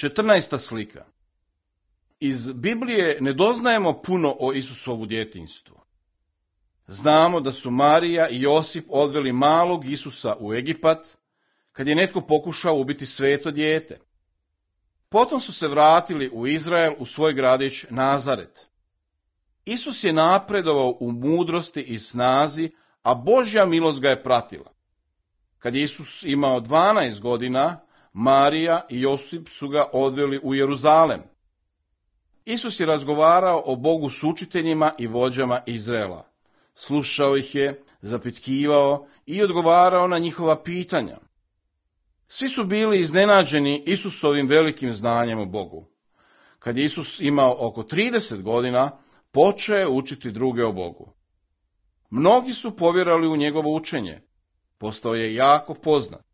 14. slika. Iz Biblije ne doznajemo puno o Isusovu djetinjstvu. Znamo da su Marija i Josip odveli malog Isusa u Egipat, kad je netko pokušao ubiti sveto dijete. Potom su se vratili u Izrael u svoj gradić Nazaret. Isus je napredovao u mudrosti i snazi, a Božja milost ga je pratila. Kad je Isus imao 12 godina, Marija i Josip su ga odveli u Jeruzalem. Isus je razgovarao o Bogu s učiteljima i vođama Izraela. Slušao ih je, zapitkivao i odgovarao na njihova pitanja. Svi su bili iznenađeni Isusovim velikim znanjem o Bogu. Kad je Isus imao oko 30 godina, počeo je učiti druge o Bogu. Mnogi su povjerali u njegovo učenje. Postao je jako poznat.